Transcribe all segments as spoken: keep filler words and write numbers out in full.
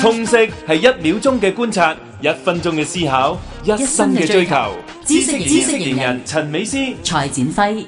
通識係一秒鐘嘅觀察，一分鐘嘅思考，一生嘅追求。知識知識型人陳美詩、蔡展輝。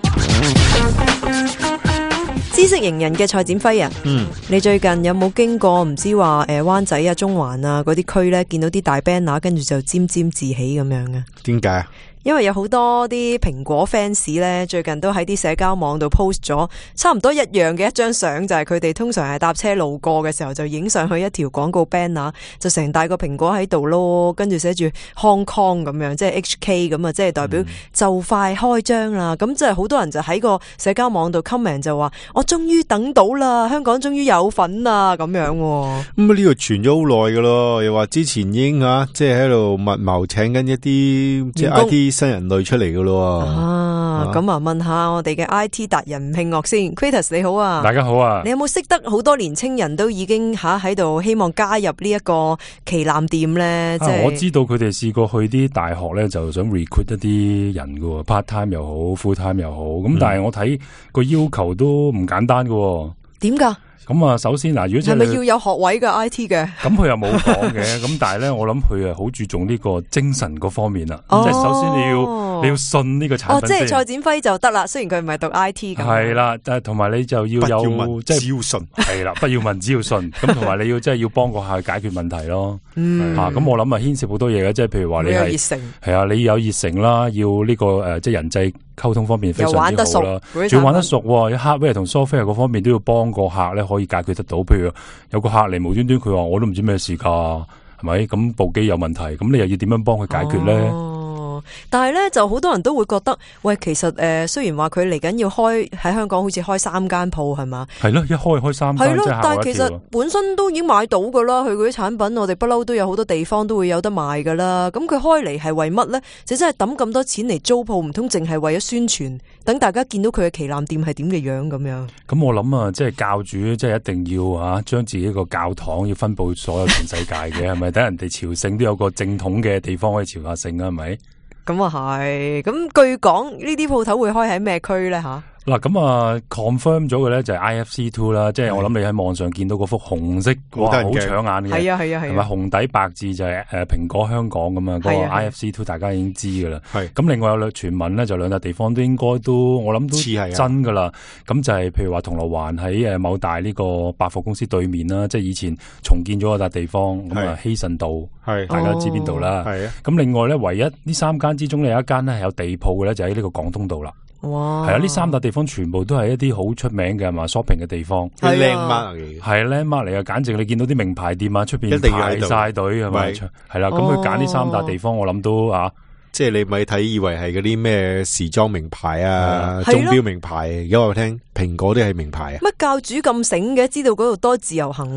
知識型人嘅蔡展輝啊，嗯，你最近有冇經過唔知話誒灣仔啊、中環啊嗰啲區咧，見到啲大 banner 跟住就沾沾自喜咁樣啊？點解啊？因為有好多啲蘋果 fans 咧，最近都喺啲社交網度 post 咗差唔多一樣嘅一張相，就係佢哋通常係搭車路過嘅時候就影上去一條廣告 banner， 就成大個蘋果喺度咯，跟住寫住 Hong Kong 咁樣，即係 H K 咁啊，即係代表就快開張啦。咁即係好多人就喺個社交網度 comment 就話：我終於等到啦，香港終於有份啦咁樣。咁啊呢個傳咗好耐噶咯，又話之前已經啊，即係喺度密謀請緊一啲即係 I T。新人類出嚟噶咯啊！咁啊，問下我哋嘅 I T 達人吳慶岳先 ，Kratos 你好啊，大家好啊！你有冇識得好多年青人都已經吓喺度希望加入呢一個旗艦店咧？即係、啊、我知道佢哋試過去啲大學咧，就想 recruit 一啲人噶 ，part time 又好 ，full time 又好。咁、嗯、但係我睇個要求都唔簡單噶。點噶？咁啊，首先嗱，如果係咪要有學位嘅 I T 嘅？咁佢又冇講嘅，咁但係咧，我諗佢啊好注重呢個精神嗰方面啦。哦、即係首先你要你要信呢個產品。哦，即係蔡展輝就得啦，雖然佢唔係讀 I T 咁。係啦，但係同埋你就要有即係只要信。係啦，不要問，只要信。咁同埋你要即係要幫個客解決問題咯。嗯。吓、啊，咁我諗啊牽涉好多嘢嘅，即係譬如話你係熱誠。係啊，你有熱誠啦，要呢、這個誒、呃，即係人際溝通方面非常之好啦。仲要玩得熟，喺 hardware 同 software 嗰方面都要幫個客咧，可以解決得到。譬如有個客嚟無端端佢話我都唔知咩事噶，係咪？咁部機有問題，咁你又要點樣幫佢解決咧？哦，但係咧就好多人都會覺得，喂，其實誒、呃，雖然話佢嚟緊要開喺香港，好似開三間鋪係嘛？係咯，一開開三間，係咯。但係其實本身都已經買到噶啦，佢嗰啲產品，我哋不嬲都有好多地方都會有得賣噶啦。咁佢開嚟係為乜咧？就真係抌咁多錢嚟租鋪，唔通淨係為咗宣傳，等大家見到佢嘅旗艦店係點嘅樣咁樣？咁我諗啊，即係教主，即係一定要啊，將自己個教堂要分佈所有全世界嘅，係咪？等人哋朝聖都有個正統嘅地方可以朝下聖啊，係咪？咁啊係，咁據講呢啲鋪頭會開喺咩區咧吓？嗱咁啊 confirm 咗嘅咧就係 I F C two 啦，即係我諗你喺網上見到嗰幅紅色，哇，好搶眼嘅，係啊係啊係，同埋紅底白字就係誒蘋果香港咁啊，嗰個 I F C two 大家已經知噶啦。係咁，另外有兩傳聞咧，就兩笪地方都應該都我諗都似係真噶啦。咁就係譬如話銅鑼灣喺誒某大呢個百貨公司對面啦，即係以前重建咗嗰笪地方，咁啊希慎道，係大家知邊度啦。係啊。咁另外咧，唯一呢三間之中咧有一間咧係有地鋪嘅咧，就喺呢個廣東道啦。哇！係啊，呢三笪地方全部都係一啲好出名嘅嘛 shopping 嘅地方，係靚 mark 嚟嘅，係靚 mark 嚟嘅，簡直你見到啲名牌店啊，出邊排晒隊係咪？係啦，咁佢揀呢三笪地方，我諗都啊。即係你咪睇以為係嗰啲咩時裝名牌啊、鐘錶名牌，而家我聽蘋果都係名牌啊。乜教主咁醒嘅，知道嗰度多自由行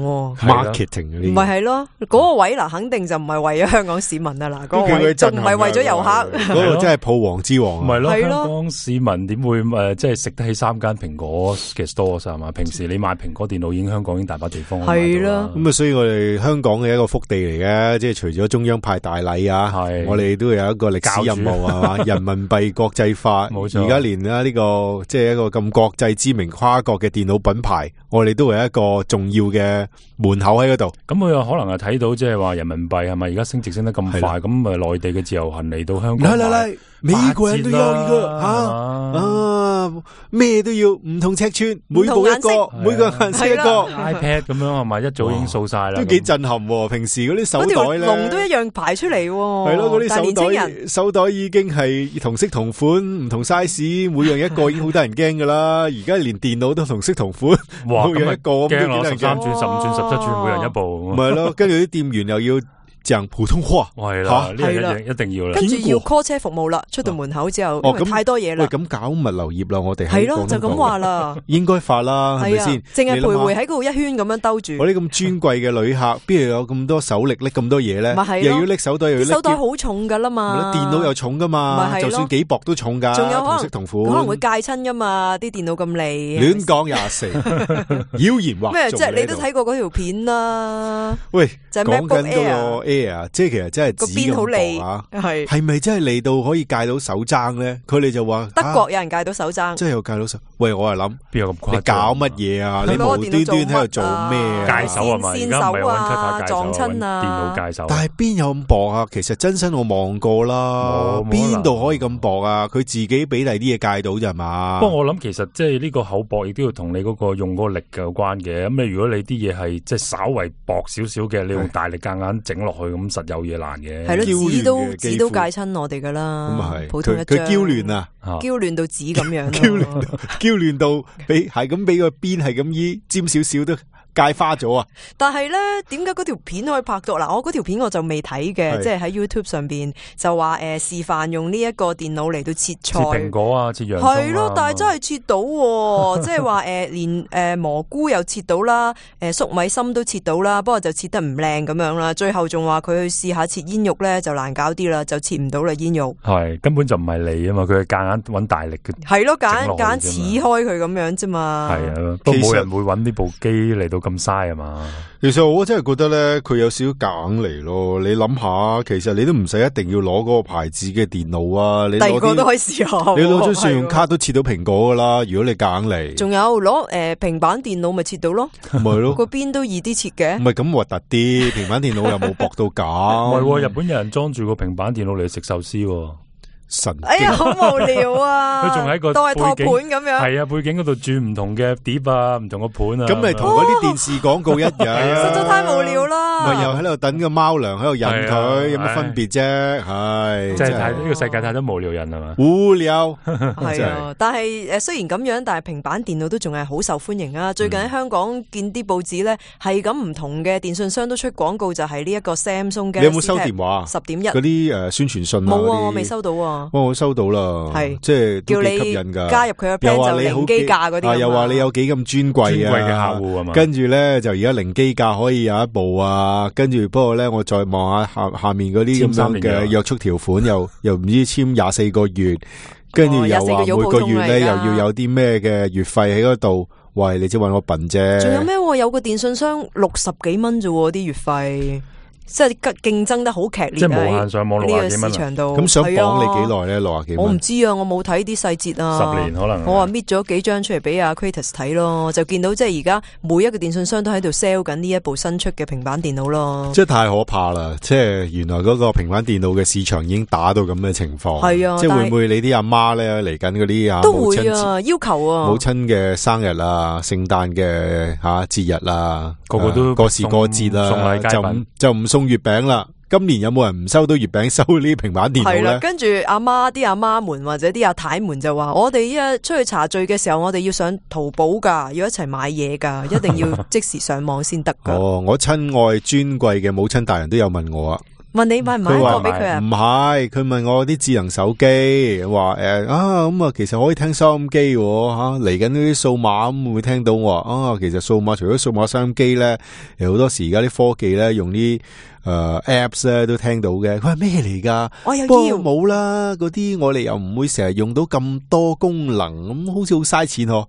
？marketing 嗰啲唔係係咯，嗰個位嗱肯定就唔係為咗香港市民啊嗱，嗰個位就唔係為咗遊客。嗰個真係鋪王之王，唔係咯？香港市民點會誒即係食得起三間蘋果嘅 stores 係嘛？平時你買蘋果電腦已經香港已經大把地方係啦。咁啊，所以我哋香港嘅一個福地嚟嘅，即係除咗中央派大禮啊，我哋都有一個歷史任務係嘛，人民幣國際化，冇錯。而家連啊呢個即係一個咁國際知名跨國嘅電腦品牌，我哋都係一個重要嘅門口喺嗰度。咁佢又可能係睇到即係話人民幣係咪而家升值升得咁快？咁啊內地嘅自由行嚟到香港，嚟嚟嚟，每個人都有呢個吓啊，咩都要，唔同尺寸，每部一個，每個顏色一個 iPad 咁樣係咪？一早已經掃晒啦，都幾震撼。平時嗰啲手袋咧，龍都一樣排出嚟，係咯，嗰啲手袋手袋已經係同色同款，唔同 size， 每樣一個已經好得人驚噶啦。而家連電腦都同色同款，哇，每樣一個咁都幾得人驚。十三寸、十五寸、十七寸，每人一部。唔係咯，跟住啲店員又要講普通話，係啦，呢樣一定要啦。跟住要 call 車服務啦，出到門口之後，因為太多嘢啦。喂，咁搞物流業啦，我哋係咯，就咁話啦，應該發啦，係咪先？淨係徘徊喺嗰度一圈咁樣兜住。我啲咁尊貴嘅旅客，邊度有咁多手力拎咁多嘢咧？又要拎手袋，又要拎手袋好重噶啦嘛，電腦又重噶嘛，就算幾薄都重噶。仲有可能同色同款，可能會戒親噶嘛，啲電腦咁利。亂講廿四，妖言惑眾。咩？即係你都睇過嗰條片啦。喂，就係 MacBook Air Air， 即係其實真係紙咁薄啊，係係咪真係利到可以戒到手踭咧？佢哋就話德國有人戒到手踭，真係有戒到手。喂，我係諗邊有咁誇張？你搞乜嘢啊？你無端端喺度做咩啊？戒手啊嘛，而家唔係揾 cut 撞親啊，電腦戒手。但係邊有咁薄啊？其實真身我望過啦，邊度可以咁薄啊？佢自己俾第啲嘢戒到咋嘛？不過我諗其實即係呢個厚薄亦都要同你嗰個用嗰個力有關嘅。咁你如果你啲嘢係即係稍為薄少少嘅，你用大力夾硬整落去，咁實有嘢難嘅。係咯，紙都紙都戒親我哋噶啦。咁啊係，普通一張佢嬌亂啊，嬌亂到紙咁樣，嬌亂嬌亂到俾係咁俾個邊係咁依尖少少都戒花咗啊！但係咧，點解嗰條片可以拍到？嗱，我嗰條片我就未睇嘅，即係喺 YouTube 上邊就話誒、呃、示範用呢一個電腦嚟到切菜，切蘋果啊，切洋葱啊，係咯，但係真係切到、啊，即係話誒連誒、呃、蘑菇又切到啦，誒、呃、粟米心都切到啦，不過就切得唔靚咁樣啦。最後仲話佢去試下切煙肉咧，就難搞啲啦，就切唔到啦煙肉。係根本就唔係你啊嘛，佢係夾硬揾大力嘅。係咯，夾硬夾硬切開佢咁樣啫嘛。係啊，都冇人會揾呢部機嚟到咁嘥啊嘛。其實我真係覺得咧，佢有少少夾硬嚟咯。你諗下，其實你都唔使一定要攞嗰個牌子嘅電腦啊，你第二個都可以試下。你攞張信用卡都切到蘋果噶啦。如果你夾硬嚟，仲有攞誒平板電腦咪切到咯，咪咯，個邊都易啲切嘅。唔係咁核突啲，平板電腦又冇薄到咁。唔係，日本有人裝住個平板電腦嚟食壽司。神哎呀，好無聊啊！佢仲喺個當係托盤咁樣，係啊，背景嗰度轉唔同嘅碟啊，唔同個盤啊，咁咪同嗰啲電視廣告一樣，實在太無聊啦！咪又喺度等個貓糧喺度引佢，有乜分別啫？係，即係太呢個世界太多無聊人係嘛？無聊係啊，但係誒雖然咁樣，但係平板電腦都仲係好受歡迎啊！最近喺香港見啲報紙咧，係咁唔同嘅電信商都出廣告，就係呢一個 Samsung 嘅。你有冇收電話？十點一嗰啲誒宣傳信啊？冇啊，我未收到啊。我收到啦，係即係都幾吸引噶。加入佢嘅 plan 就零機價嗰啲，又話你有幾咁尊貴啊，尊貴嘅客戶啊嘛。跟住咧就而家零機價可以有一部啊，跟住不過咧我再望下下下面嗰啲咁樣嘅約束條款，又又唔知簽廿四個月，跟住又話每個月咧又要有啲咩嘅月費喺嗰度。喂，你只話我笨啫。仲有咩？有個電信商六十幾蚊啫，啲月費。即係競爭得好劇烈，即係無限上網六十幾蚊市場度。咁想綁你幾耐咧？六十幾蚊？我唔知啊，我冇睇啲細節啊。十年可能。我話搣咗幾張出嚟俾阿 Kratos 睇咯，就見到即係而家每一個電信商都喺度 sell 緊呢一部新出嘅平板電腦咯。即係太可怕啦！即係原來嗰個平板電腦嘅市場已經打到咁嘅情況。係啊，即係會唔會你啲阿媽咧嚟緊嗰啲啊？都會啊，要求啊。母親嘅生日啊，聖誕嘅吓節日啊，個個都過時過節啊，就唔就唔送月餅啦。今年有冇人唔收到月餅收呢啲平板電腦咧？跟住阿媽啲阿媽們或者啲阿太們就話：我哋依家出去茶聚嘅時候，我哋要上淘寶噶，要一齊買嘢噶，一定要即時上網先得噶。哦，我親愛尊貴嘅母親大人都有問我啊。問你買唔買一個俾佢啊？唔係，佢問我啲智能手機，話誒啊咁啊，其實可以聽收音機吓，嚟緊嗰啲數碼咁會唔會聽到？我話啊，其實數碼除咗數碼收音機咧，有好多時而家啲科技咧用啲誒、呃、apps 咧都聽到嘅。佢話咩嚟噶？我有要冇啦，嗰啲我哋又唔會成日用到咁多功能，咁好似好嘥錢嗬。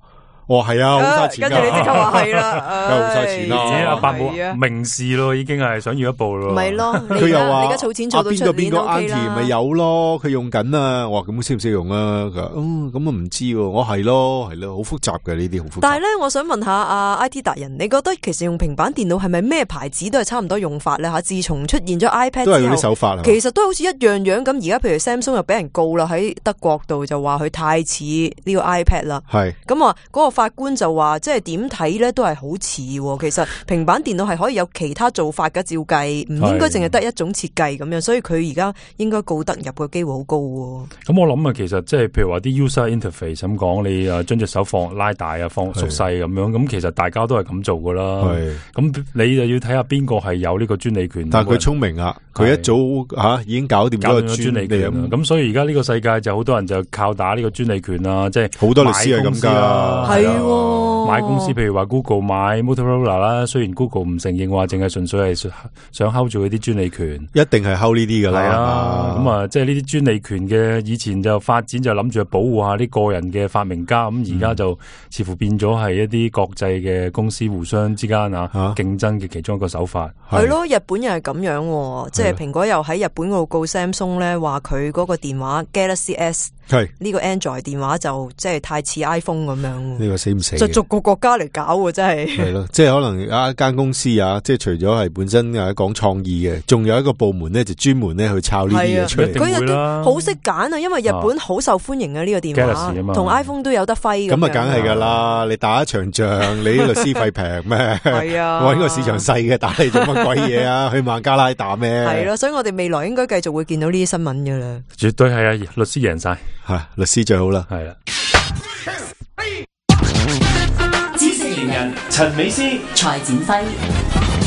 哦，係啊，好嘥錢，跟住你即刻話係啦，梗係好嘥錢啦。阿伯冇明示咯，已經係想要一部咯。咪咯，佢又話你而家儲錢做到出年都 OK 啦。邊個邊個 auntie 咪有咯，佢用緊啊。我話咁識唔識用啊？佢話嗯咁啊唔知，我係咯係咯，好複雜嘅呢啲好複雜。但係咧，我想問下阿 I T 達人，你覺得其實用平板電腦係咪咩牌子都係差唔多用法咧？吓，自從出現咗 iPad 之後，都係嗰啲手法，其實都好似一樣樣咁。而家譬如 Samsung 又俾人告啦，喺德國度就話佢太似呢個 iPad 啦。係咁啊，嗰個法官就話。即係點睇咧，都係好似。其實平板電腦係可以有其他做法嘅，照計唔應該淨係得一種設計咁樣，所以佢而家應該告得入嘅機會好高。咁我諗啊，其實即係譬如話啲 user interface 咁講，你啊將隻手放拉大啊，放縮細咁樣，咁其實大家都係咁做噶啦。咁你就要睇下邊個係有呢個專利權。但係佢聰明啊，佢一早吓、啊、已經搞掂咗個專利權。咁所以而家呢個世界就好多人就靠打呢個專利權啊，即係好多律師係咁噶。係。買公司，譬如話 Google 買 Motorola 啦，雖然 Google 唔承認話，淨係純粹係想 hold 住嗰啲專利權，一定係 hold 呢啲噶啦。係啊，咁啊，即係呢啲專利權嘅以前就發展就諗住保護下啲個人嘅發明家，咁而家就似乎變咗係一啲國際嘅公司互相之間啊競爭嘅其中一個手法。係咯，日本又係咁樣，即係蘋果又喺日本嗰度告 Samsung 咧，話佢嗰個電話 Galaxy S 係呢個 Android 電話就即係太似 iPhone 咁樣。呢個死唔死？就逐個國家嚟搞喎，真係。係咯，即係可能有一間公司啊，即係除咗係本身啊講創意嘅，仲有一個部門咧就專門咧去抄呢啲嘢出嚟。佢有啲好識揀啊，因為日本好受歡迎嘅呢個電話，同 iPhone 都有得揮。咁啊，梗係噶啦！你打一場仗，你啲律師費平咩？係啊，搵個市場細嘅打你做乜鬼嘢啊？去孟加拉打咩？係咯，所以我哋未來應該繼續會見到呢啲新聞噶啦。絕對係啊，律師贏晒，係律師最好啦。係啦。知識型人陳美詩、蔡展輝。